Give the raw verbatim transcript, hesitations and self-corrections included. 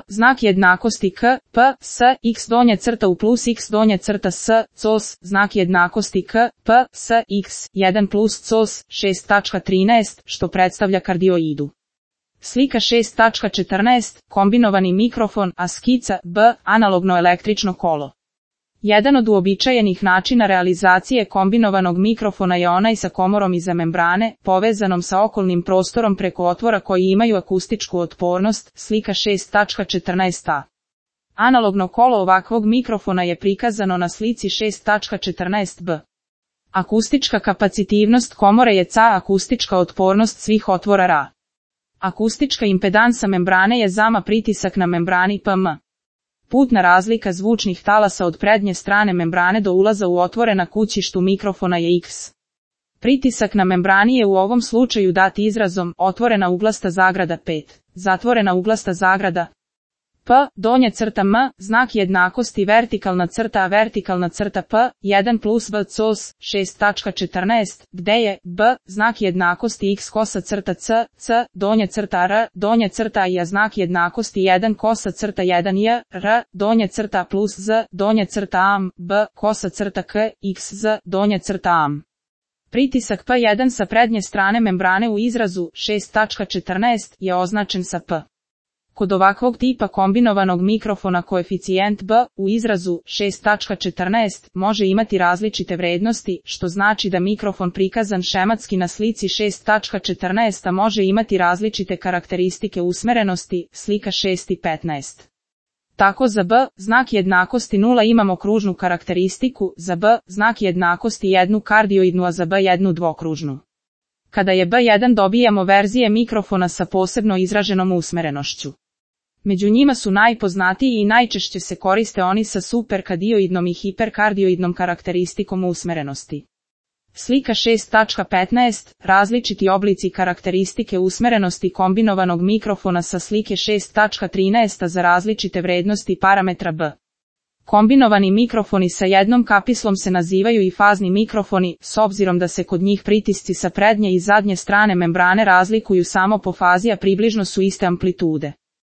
znak jednakosti k, p, s, x donja crta u plus x donja crta s, cos, znak jednakosti k, p, s, x, jedan plus cos, šest tačka trinaest, što predstavlja kardioidu. Slika šest tačka četrnaest, kombinovani mikrofon, a skica, b, analogno električno kolo. Jedan od uobičajenih načina realizacije kombinovanog mikrofona je onaj sa komorom iza membrane, povezanom sa okolnim prostorom preko otvora koji imaju akustičku otpornost, slika šest tačka četrnaest a. Analogno kolo ovakvog mikrofona je prikazano na slici šest tačka četrnaest b. Akustička kapacitivnost komore je ca, akustička otpornost svih otvora ra. Akustička impedansa membrane je zama pritisak na membrani pm. Putna razlika zvučnih talasa od prednje strane membrane do ulaza u otvore na kućištu mikrofona je x. Pritisak na membrani je u ovom slučaju dat izrazom otvorena uglasta zagrada pet, zatvorena uglasta zagrada p, donja crta m, znak jednakosti vertikalna crta a vertikalna crta p, jedan plus b cos, šest tačka četrnaest, gde je b, znak jednakosti x kosa crta c, c, donja crta r, donja crta i a znak jednakosti jedan kosa crta jedan j, r, donja crta plus z, donja crta am, b, kosa crta k, x z, donja crta am. Pritisak p jedan sa prednje strane membrane u izrazu šest tačka četrnaest je označen sa p. Kod ovakvog tipa kombinovanog mikrofona koeficijent b u izrazu šest tačka četrnaest može imati različite vrednosti, što znači da mikrofon prikazan šematski na slici šest tačka četrnaest može imati različite karakteristike usmerenosti, slika šest i petnaest. Tako za b, znak jednakosti nula imamo kružnu karakteristiku, za b, znak jednakosti jednu kardioidnu, a za b jednu dvokružnu. Kada je b jedan dobijamo verzije mikrofona sa posebno izraženom usmerenošću. Među njima su najpoznatiji i najčešće se koriste oni sa superkardioidnom i hiperkardioidnom karakteristikom usmerenosti. Slika šest tačka petnaest, različiti oblici karakteristike usmerenosti kombinovanog mikrofona sa slike šest tačka trinaest za različite vrednosti parametra b. Kombinovani mikrofoni sa jednom kapislom se nazivaju i fazni mikrofoni, s obzirom da se kod njih pritisci sa prednje i zadnje strane membrane razlikuju samo po fazi, a približno su iste amplitude.